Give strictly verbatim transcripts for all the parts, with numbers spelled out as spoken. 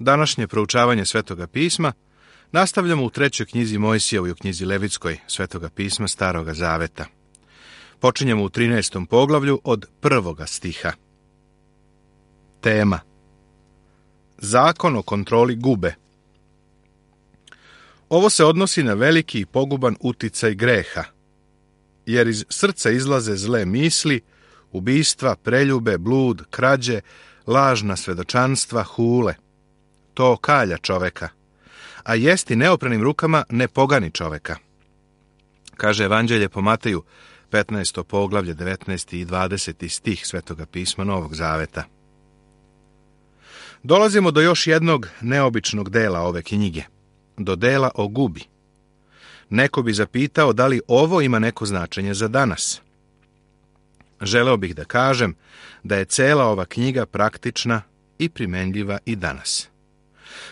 Današnje proučavanje Svetoga pisma nastavljamo u trećoj knjizi Mojsijevoj, u knjizi Levitskoj Svetoga pisma Staroga zaveta. Počinjemo u trinaestom poglavlju od prvoga stiha. Tema: Zakon o kontroli gube. Ovo se odnosi na veliki i poguban uticaj greha, jer iz srca izlaze zle misli, ubistva, preljube, blud, krađe, lažna svedočanstva, hule. To kalja čoveka, a jesti neopranim rukama ne pogani čoveka. Kaže Evanđelje po Mateju, petnaesto poglavlje, devetnaesti i dvadeseti stih Svetoga pisma Novog zaveta. Dolazimo do još jednog neobičnog dela ove knjige, do dela o gubi. Neko bi zapitao da li ovo ima neko značenje za danas. Želeo bih da kažem da je cela ova knjiga praktična i primenljiva i danas.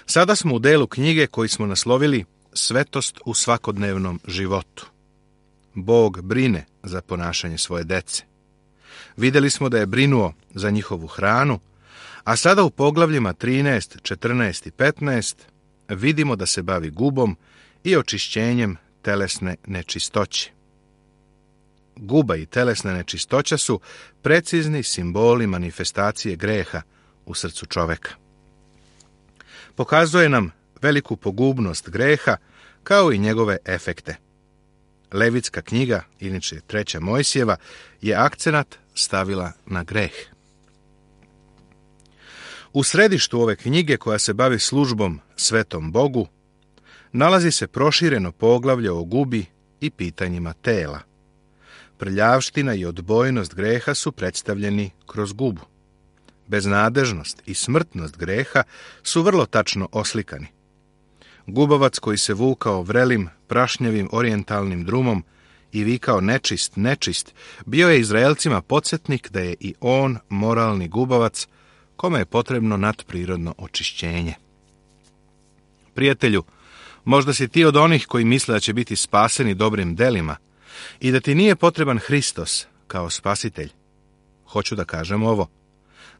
Sada smo u delu knjige koji smo naslovili Svetost u svakodnevnom životu. Bog brine za ponašanje svoje dece. Vidjeli smo da je brinuo za njihovu hranu, a sada u poglavljima trinaest, četrnaest i petnaest vidimo da se bavi gubom i očišćenjem telesne nečistoće. Guba i telesna nečistoća su precizni simboli manifestacije greha u srcu čoveka. Pokazuje nam veliku pogubnost greha kao i njegove efekte. Levitska knjiga, inače treća Mojsijeva, je akcenat stavila na greh. U središtu ove knjige, koja se bavi službom svetom Bogu, nalazi se prošireno poglavlje o gubi i pitanjima tela. Prljavština i odbojnost greha su predstavljeni kroz gubu. Beznadežnost i smrtnost greha su vrlo tačno oslikani. Gubavac koji se vukao vrelim, prašnjavim orijentalnim drumom i vikao nečist, nečist, bio je Izraelcima podsjetnik da je i on moralni gubavac kome je potrebno nadprirodno očišćenje. Prijatelju, možda si ti od onih koji misle da će biti spaseni dobrim delima i da ti nije potreban Hristos kao spasitelj. Hoću da kažem ovo: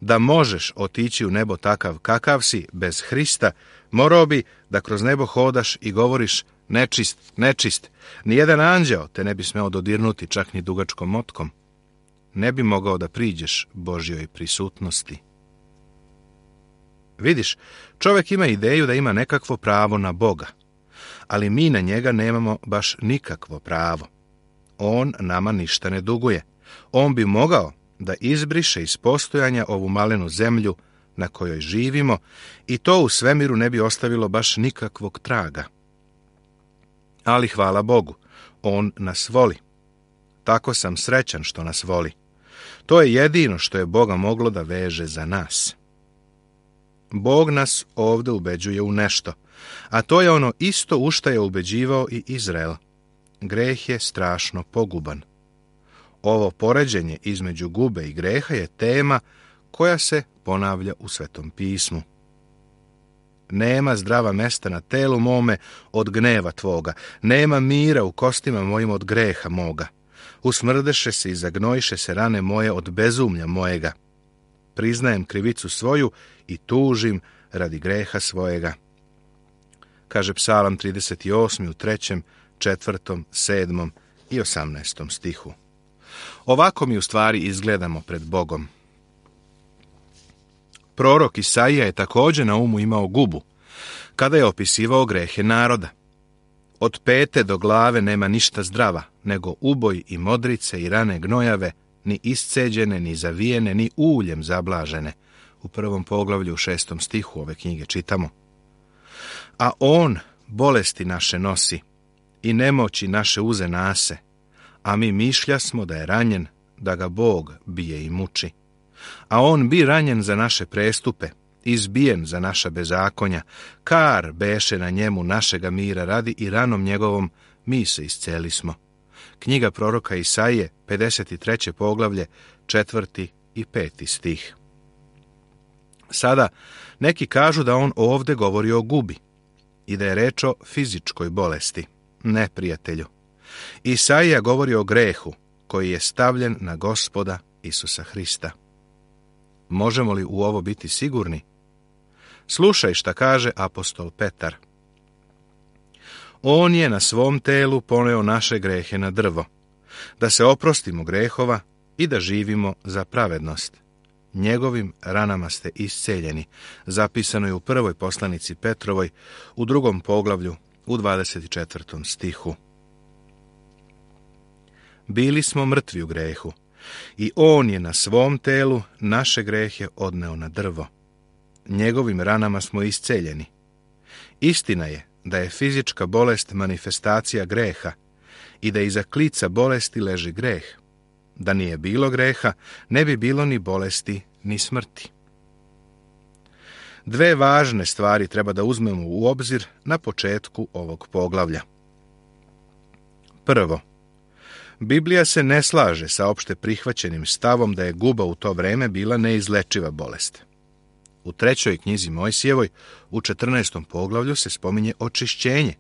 da možeš otići u nebo takav kakav si, bez Hrista, morao bi da kroz nebo hodaš i govoriš nečist, nečist. Nijedan anđeo te ne bi smeo dodirnuti, čak ni dugačkom motkom. Ne bi mogao da priđeš Božjoj prisutnosti. Vidiš, čovjek ima ideju da ima nekakvo pravo na Boga, ali mi na njega nemamo baš nikakvo pravo. On nama ništa ne duguje. On bi mogao da izbriše iz postojanja ovu malenu zemlju na kojoj živimo i to u svemiru ne bi ostavilo baš nikakvog traga. Ali hvala Bogu, on nas voli. Tako sam srećan što nas voli. To je jedino što je Boga moglo da veže za nas. Bog nas ovdje ubeđuje u nešto, a to je ono isto u što je ubeđivao i Izrael. Greh je strašno poguban. Ovo poređenje između gube i greha je tema koja se ponavlja u Svetom pismu. Nema zdrava mesta na telu mome od gneva tvoga, nema mira u kostima mojim od greha moga. Usmrdeše se i zagnojiše se rane moje od bezumlja mojega. Priznajem krivicu svoju i tužim radi greha svojega. Kaže Psalam trideset osmi u trećem, četvrtom, sedmom i osamnaestom stihu. Ovako mi u stvari izgledamo pred Bogom. Prorok Isaija je također na umu imao gubu, kada je opisivao grehe naroda. Od pete do glave nema ništa zdrava, nego uboj i modrice i rane gnojave, ni isceđene, ni zavijene, ni uljem zablažene. U prvom poglavlju u šestom stihu ove knjige čitamo. A on bolesti naše nosi i nemoći naše uze nase, a mi mišlja smo da je ranjen, da ga Bog bije i muči. A on bi ranjen za naše prestupe, izbijen za naša bezakonja, kar beše na njemu našega mira radi i ranom njegovom mi se isceli smo. Knjiga proroka Isaije, pedeset treće poglavlje, četvrti i peti stih. Sada, neki kažu da on ovdje govori o gubi i da je reč o fizičkoj bolesti. Ne, prijatelju. Isaija govori o grehu koji je stavljen na Gospoda Isusa Hrista. Možemo li u ovo biti sigurni? Slušaj šta kaže apostol Petar. On je na svom telu poneo naše grehe na drvo, da se oprostimo grehova i da živimo za pravednost. Njegovim ranama ste isceljeni, zapisano je u prvoj poslanici Petrovoj, u drugom poglavlju, u dvadeset četvrtom stihu. Bili smo mrtvi u grehu i on je na svom telu naše grehe odneo na drvo. Njegovim ranama smo isceljeni. Istina je da je fizička bolest manifestacija greha i da iza klica bolesti leži greh. Da nije bilo greha, ne bi bilo ni bolesti, ni smrti. Dve važne stvari treba da uzmemo u obzir na početku ovog poglavlja. Prvo, Biblija se ne slaže sa opšte prihvaćenim stavom da je guba u to vreme bila neizlečiva bolest. U trećoj knjizi Mojsijevoj, u četrnaestom poglavlju, se spominje očišćenje.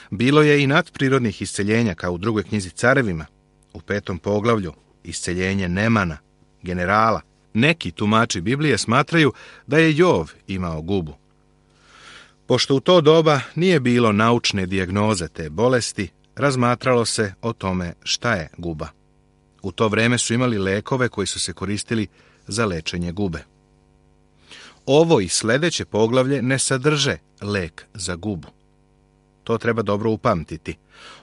Bilo je i nadprirodnih isceljenja, kao u drugoj knjizi Carevima. U petom poglavlju isceljenje Nemana, generala. Neki tumači Biblije smatraju da je Jov imao gubu. Pošto u to doba nije bilo naučne dijagnoze te bolesti, razmatralo se o tome šta je guba. U to vreme su imali lekove koji su se koristili za lečenje gube. Ovo i sljedeće poglavlje ne sadrže lek za gubu. To treba dobro upamtiti.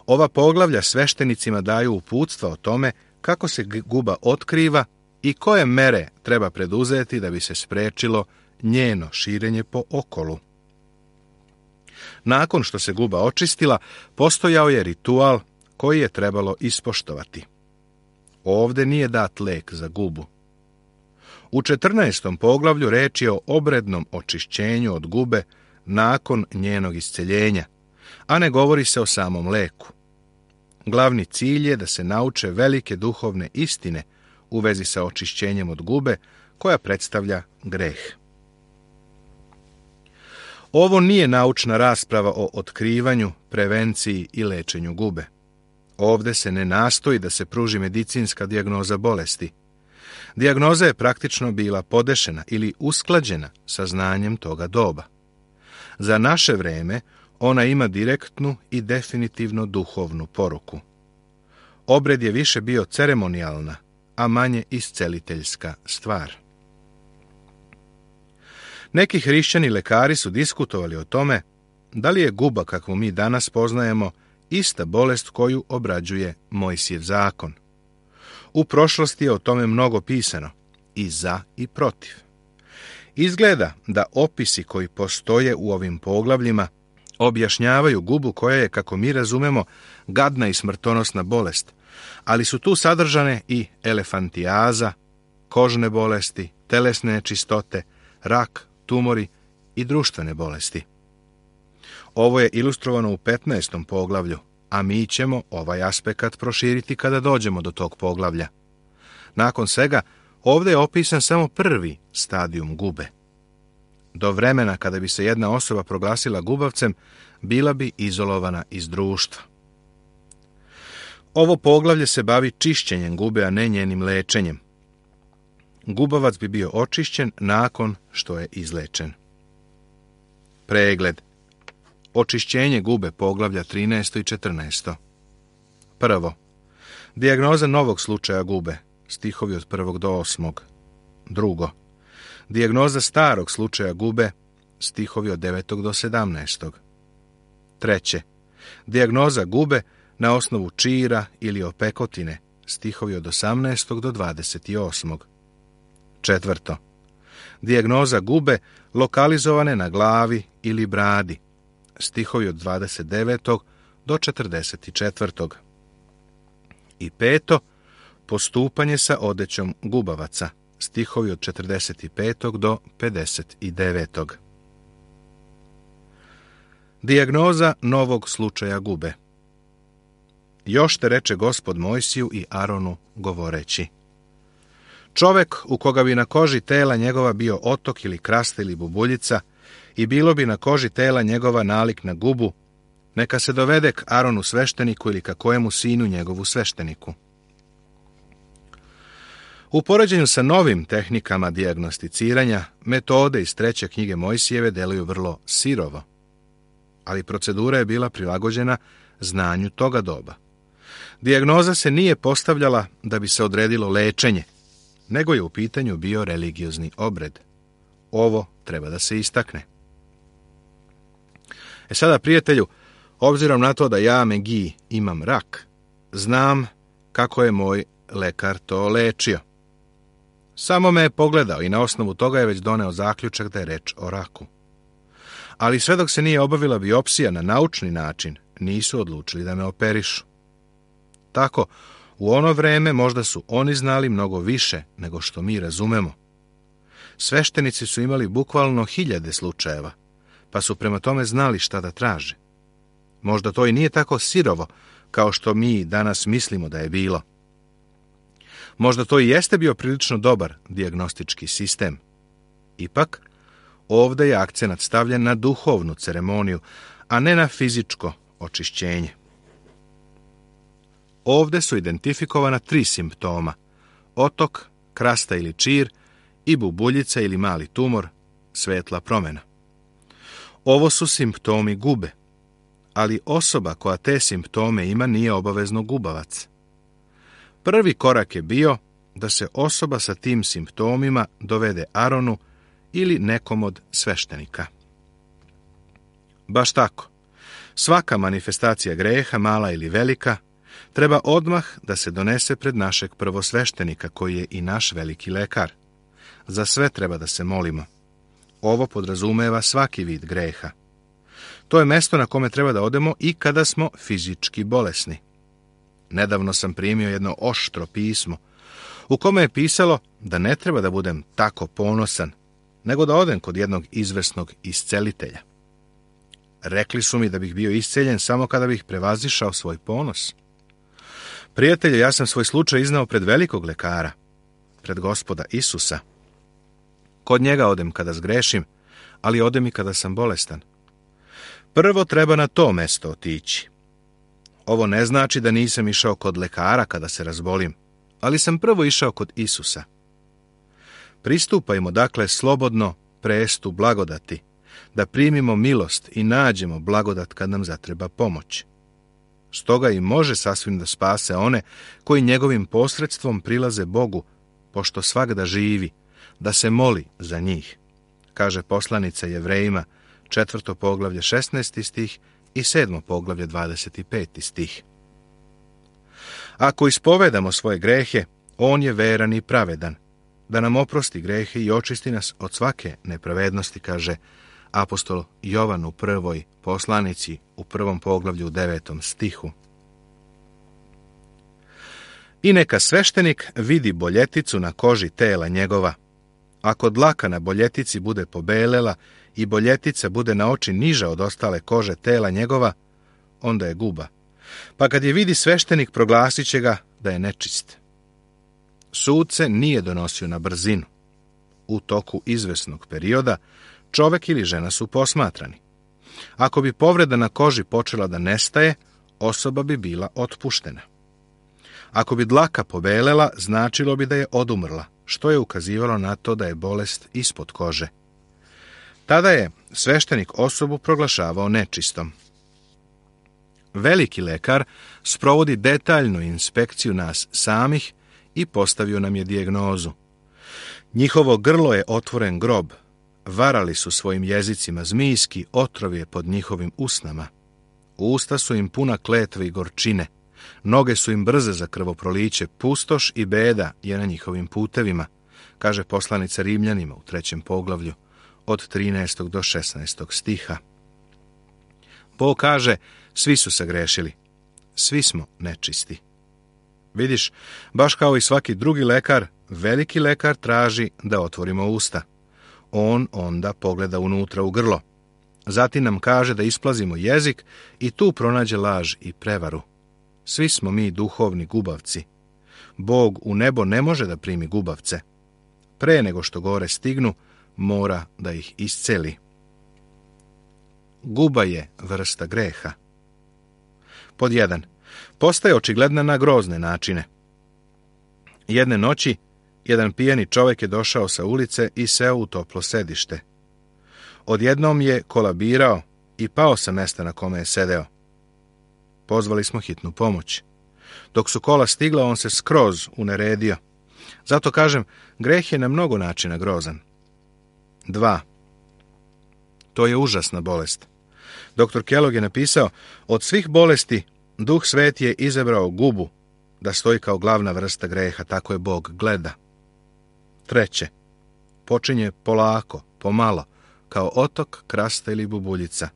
Ova poglavlja sveštenicima daju uputstva o tome kako se guba otkriva i koje mere treba preduzeti da bi se sprečilo njeno širenje po okolu. Nakon što se guba očistila, postojao je ritual koji je trebalo ispoštovati. Ovde nije dat lek za gubu. U četrnaestom poglavlju reč je o obrednom očišćenju od gube nakon njenog isceljenja, a ne govori se o samom leku. Glavni cilj je da se nauče velike duhovne istine u vezi sa očišćenjem od gube koja predstavlja greh. Ovo nije naučna rasprava o otkrivanju, prevenciji i lečenju gube. Ovde se ne nastoji da se pruži medicinska dijagnoza bolesti. Dijagnoza je praktično bila podešena ili usklađena sa znanjem toga doba. Za naše vreme ona ima direktnu i definitivno duhovnu poruku. Obred je više bio ceremonijalna, a manje isceliteljska stvar. Neki hrišćani lekari su diskutovali o tome da li je guba kakvu mi danas poznajemo ista bolest koju obrađuje Mojsijev zakon. U prošlosti je o tome mnogo pisano, i za i protiv. Izgleda da opisi koji postoje u ovim poglavljima objašnjavaju gubu koja je, kako mi razumemo, gadna i smrtonosna bolest, ali su tu sadržane i elefantijaza, kožne bolesti, telesne nečistote, rak, tumori i društvene bolesti. Ovo je ilustrovano u petnaestom poglavlju, a mi ćemo ovaj aspekt proširiti kada dođemo do tog poglavlja. Nakon svega, ovdje je opisan samo prvi stadijum gube. Do vremena kada bi se jedna osoba proglasila gubavcem, bila bi izolovana iz društva. Ovo poglavlje se bavi čišćenjem gube, a ne njenim lečenjem. Gubavac bi bio očišćen nakon što je izlečen. Pregled. Očišćenje gube, poglavlja trinaesto i četrnaesto. Prvo. Dijagnoza novog slučaja gube, stihovi od prvog do osmog. Drugo. Dijagnoza starog slučaja gube, stihovi od devetog do sedamnaestog. Treće. Dijagnoza gube na osnovu čira ili opekotine, stihovi od osamnaestog do dvadeset osmog. Četvrto. Dijagnoza gube lokalizovane na glavi ili bradi, stihovi od dvadeset devetog do četrdeset četvrtog. I peto. Postupanje sa odećom gubavaca, stihovi od četrdeset petog do pedeset devetog. Dijagnoza novog slučaja gube. Još te reče Gospod Mojsiju i Aronu govoreći: čovek u koga bi na koži tela njegova bio otok ili krasta ili bubuljica i bilo bi na koži tela njegova nalik na gubu, neka se dovede k Aronu svešteniku ili ka kojemu sinu njegovu svešteniku. U poređenju sa novim tehnikama dijagnosticiranja, metode iz treće knjige Mojsijeve deluju vrlo sirovo, ali procedura je bila prilagođena znanju toga doba. Dijagnoza se nije postavljala da bi se odredilo lečenje, nego je u pitanju bio religiozni obred. Ovo treba da se istakne. E sada, prijatelju, obzirom na to da ja, Megi, imam rak, znam kako je moj lekar to lečio. Samo me je pogledao i na osnovu toga je već doneo zaključak da je reč o raku. Ali sve dok se nije obavila biopsija na naučni način, nisu odlučili da me operišu. Tako, u ono vreme možda su oni znali mnogo više nego što mi razumemo. Sveštenici su imali bukvalno hiljade slučajeva, pa su prema tome znali šta da traže. Možda to i nije tako sirovo kao što mi danas mislimo da je bilo. Možda to i jeste bio prilično dobar dijagnostički sistem. Ipak, ovdje je akcenat stavljen na duhovnu ceremoniju, a ne na fizičko očišćenje. Ovdje su identifikovana tri simptoma: otok, krasta ili čir i bubuljica ili mali tumor, svetla promjena. Ovo su simptomi gube, ali osoba koja te simptome ima nije obavezno gubavac. Prvi korak je bio da se osoba sa tim simptomima dovede Aronu ili nekom od sveštenika. Baš tako, svaka manifestacija greha, mala ili velika, treba odmah da se donese pred našeg prvosveštenika, koji je i naš veliki lekar. Za sve treba da se molimo. Ovo podrazumeva svaki vid greha. To je mesto na kome treba da odemo i kada smo fizički bolesni. Nedavno sam primio jedno oštro pismo, u kome je pisalo da ne treba da budem tako ponosan, nego da odem kod jednog izvrsnog iscelitelja. Rekli su mi da bih bio isceljen samo kada bih prevazišao svoj ponos. Prijatelju, ja sam svoj slučaj iznao pred velikog lekara, pred Gospoda Isusa. Kod njega odem kada zgrešim, ali odem i kada sam bolestan. Prvo treba na to mesto otići. Ovo ne znači da nisam išao kod lekara kada se razbolim, ali sam prvo išao kod Isusa. Pristupajmo dakle slobodno prestu blagodati, da primimo milost i nađemo blagodat kad nam zatreba pomoć. Stoga i može sasvim da spase one koji njegovim posredstvom prilaze Bogu, pošto svagda živi, da se moli za njih, kaže poslanica Jevrejima, četvrto poglavlje šesnaesti stih i sedmo poglavlje dvadeset peti stih. Ako ispovedamo svoje grehe, on je veran i pravedan, da nam oprosti grehe i očisti nas od svake nepravednosti, kaže apostol Jovan u prvoj poslanici u prvom poglavlju u devetom stihu. I neka sveštenik vidi boljeticu na koži tela njegova. Ako dlaka na boljetici bude pobelela i boljetica bude na oči niža od ostale kože tela njegova, onda je guba. Pa kad je vidi sveštenik, proglasit će ga da je nečist. Sud se nije donosio na brzinu. U toku izvesnog perioda čovek ili žena su posmatrani. Ako bi povreda na koži počela da nestaje, osoba bi bila otpuštena. Ako bi dlaka pobelela, značilo bi da je odumrla, što je ukazivalo na to da je bolest ispod kože. Tada je sveštenik osobu proglašavao nečistom. Veliki lekar sprovodi detaljnu inspekciju nas samih i postavio nam je dijagnozu. Njihovo grlo je otvoren grob, varali su svojim jezicima zmijski, otrov je pod njihovim usnama. Usta su im puna kletve i gorčine, noge su im brze za krvoproliće, pustoš i beda je na njihovim putevima, kaže poslanica Rimljanima u trećem poglavlju, od trinaestog do šesnaestog stiha. Bog kaže, svi su sagrešili, svi smo nečisti. Vidiš, baš kao i svaki drugi lekar, veliki lekar traži da otvorimo usta. On onda pogleda unutra u grlo. Zatim nam kaže da isplazimo jezik i tu pronađe laž i prevaru. Svi smo mi duhovni gubavci. Bog u nebo ne može da primi gubavce. Pre nego što gore stignu, mora da ih isceli. Guba je vrsta greha. Pod jedan. Postaje očigledna na grozne načine. Jedne noći Jedan pijani čovjek je došao sa ulice i seo u toplo sedište. Odjednom je kolabirao i pao sa mesta na kome je sedeo. Pozvali smo hitnu pomoć. Dok su kola stigla, on se skroz uneredio. Zato kažem, greh je na mnogo načina grozan. Dva. To je užasna bolest. Doktor Kellogg je napisao, od svih bolesti Duh Sveti je izabrao gubu da stoji kao glavna vrsta greha, tako je Bog gleda. Treće. Počinje polako, pomalo, kao otok, krasta ili bubuljica.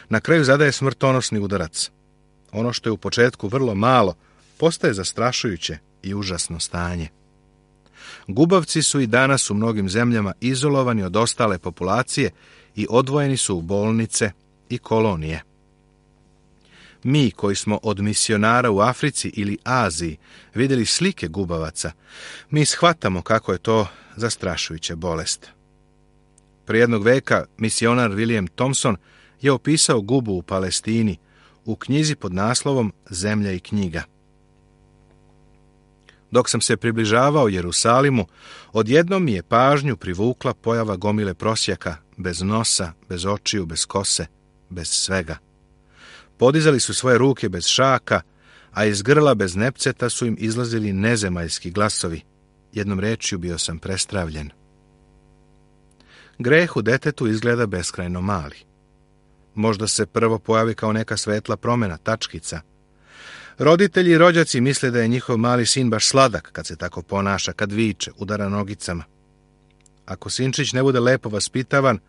Na kraju zadaje smrtonosni udarac. Ono što je u početku vrlo malo, postaje zastrašujuće i užasno stanje. Gubavci su i danas u mnogim zemljama izolovani od ostale populacije i odvojeni su u bolnice i kolonije. Mi koji smo od misionara u Africi ili Aziji vidjeli slike gubavaca, mi shvatamo kako je to zastrašujuća bolest. Prije jednog veka misionar William Thompson je opisao gubu u Palestini u knjizi pod naslovom Zemlja i knjiga. Dok sam se približavao Jerusalimu, odjednom mi je pažnju privukla pojava gomile prosjaka, bez nosa, bez očiju, bez kose, bez svega. Podizali su svoje ruke bez šaka, a iz grla bez nepceta su im izlazili nezemaljski glasovi. Jednom rečju bio sam prestravljen. Greh u detetu izgleda beskrajno mali. Možda se prvo pojavi kao neka svetla promjena, tačkica. Roditelji i rođaci misle da je njihov mali sin baš sladak kad se tako ponaša, kad viče, udara nogicama. Ako sinčić ne bude lepo vaspitavan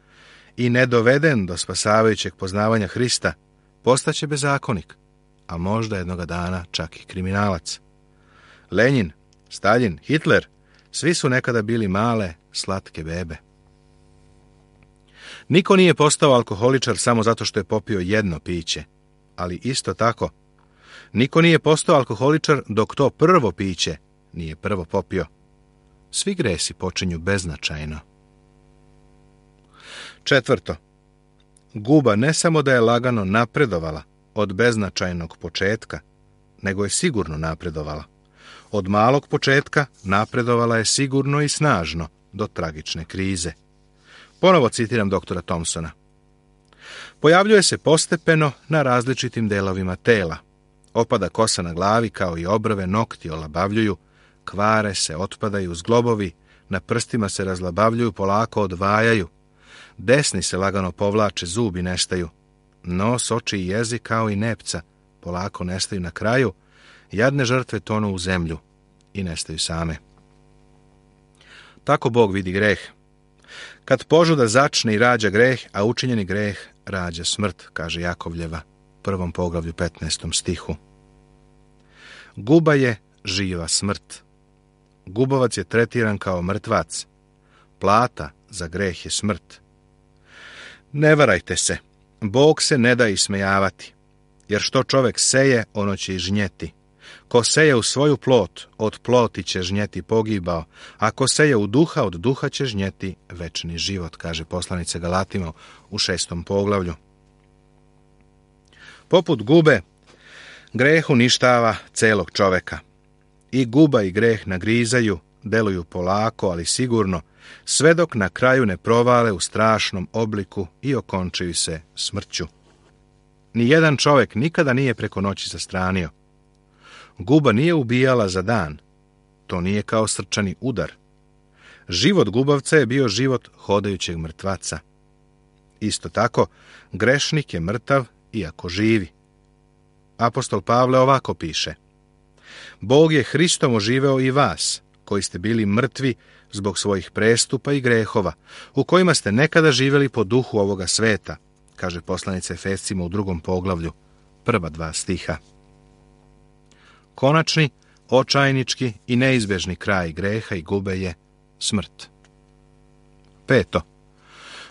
i ne doveden do spasavajućeg poznavanja Hrista, postaće bezakonik, a možda jednoga dana čak i kriminalac. Lenjin, Staljin, Hitler, svi su nekada bili male, slatke bebe. Niko nije postao alkoholičar samo zato što je popio jedno piće, ali isto tako, niko nije postao alkoholičar dok to prvo piće nije prvo popio. Svi gresi počinju beznačajno. Četvrto. Guba ne samo da je lagano napredovala od beznačajnog početka, nego je sigurno napredovala. Od malog početka napredovala je sigurno i snažno do tragične krize. Ponovo citiram doktora Thompsona. Pojavljuje se postepeno na različitim delovima tela. Opada kosa na glavi kao i obrve, nokti olabavljuju, kvare se, otpadaju zglobovi, na prstima se razlabavljuju, polako odvajaju. Desni se lagano povlače, zubi nestaju. Nos, oči i jezik kao i nepca polako nestaju na kraju. Jadne žrtve tonu u zemlju i nestaju same. Tako Bog vidi greh. Kad požuda začne i rađa greh, a učinjeni greh rađa smrt, kaže Jakovljeva, prvom poglavlju petnaestom stihu. Guba je živa smrt. Gubavac je tretiran kao mrtvac. Plata za greh je smrt. Ne varajte se, Bog se ne da ismejavati, jer što čovjek seje, ono će i žnjeti. Ko seje u svoju plot, od ploti će žnjeti pogibao, a ko seje u duha, od duha će žnjeti večni život, kaže poslanica Galatima u šestom poglavlju. Poput gube, greh uništava celog čoveka. I guba i greh nagrizaju, deluju polako, ali sigurno, sve dok na kraju ne provale u strašnom obliku i okončaju se smrću. Nijedan čovjek nikada nije preko noći zastranio. Guba nije ubijala za dan. To nije kao srčani udar. Život gubavca je bio život hodajućeg mrtvaca. Isto tako, grešnik je mrtav iako živi. Apostol Pavle ovako piše: Bog je Hristom oživeo i vas, koji ste bili mrtvi zbog svojih prestupa i grehova, u kojima ste nekada živjeli po duhu ovoga sveta, kaže poslanica Efescima u drugom poglavlju, prva dva stiha. Konačni, očajnički i neizbežni kraj greha i gube je smrt. Peto.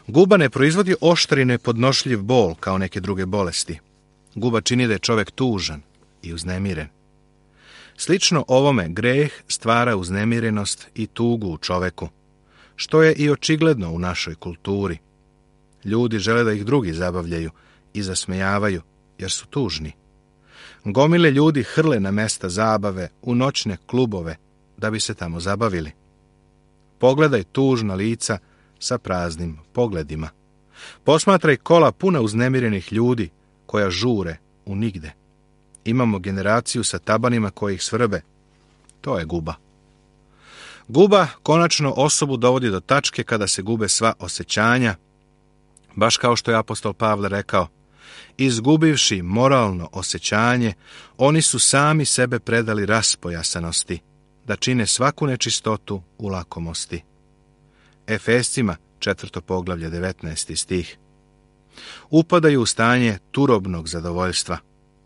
Guba ne proizvodi oštri nepodnošljiv bol kao neke druge bolesti. Guba čini da je čovjek tužan i uznemiren. Slično ovome greh stvara uznemirenost i tugu u čoveku, što je i očigledno u našoj kulturi. Ljudi žele da ih drugi zabavljaju i zasmejavaju, jer su tužni. Gomile ljudi hrle na mesta zabave, u noćne klubove, da bi se tamo zabavili. Pogledaj tužna lica sa praznim pogledima. Posmatraj kola puna uznemirenih ljudi koja žure u nigde. Imamo generaciju sa tabanima koji ih svrbe. To je guba. Guba konačno osobu dovodi do tačke kada se gube sva osjećanja, baš kao što je apostol Pavle rekao, izgubivši moralno osjećanje, oni su sami sebe predali raspojasanosti, da čine svaku nečistotu u lakomosti. Efescima, četvrto poglavlje, devetnaesti stih. Upadaju u stanje turobnog zadovoljstva.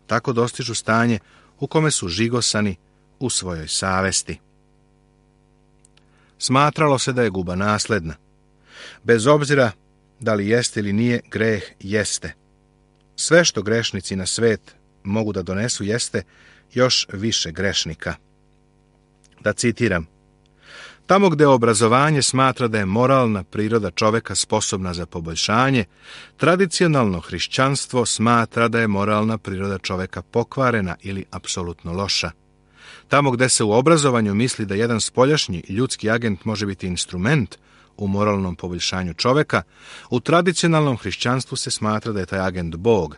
Tako dostižu stanje u kome su žigosani u svojoj savesti. Smatralo se da je guba nasledna. Bez obzira da li jeste ili nije, greh jeste. Sve što grešnici na svet mogu da donesu jeste još više grešnika. Da citiram, tamo gde obrazovanje smatra da je moralna priroda čoveka sposobna za poboljšanje, tradicionalno hrišćanstvo smatra da je moralna priroda čoveka pokvarena ili apsolutno loša. Tamo gde se u obrazovanju misli da jedan spoljašnji ljudski agent može biti instrument u moralnom poboljšanju čoveka, u tradicionalnom hrišćanstvu se smatra da je taj agent Bog,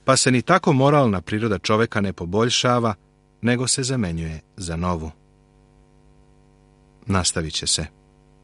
pa se ni tako moralna priroda čoveka ne poboljšava, nego se zamenjuje za novu. Nastavit će se.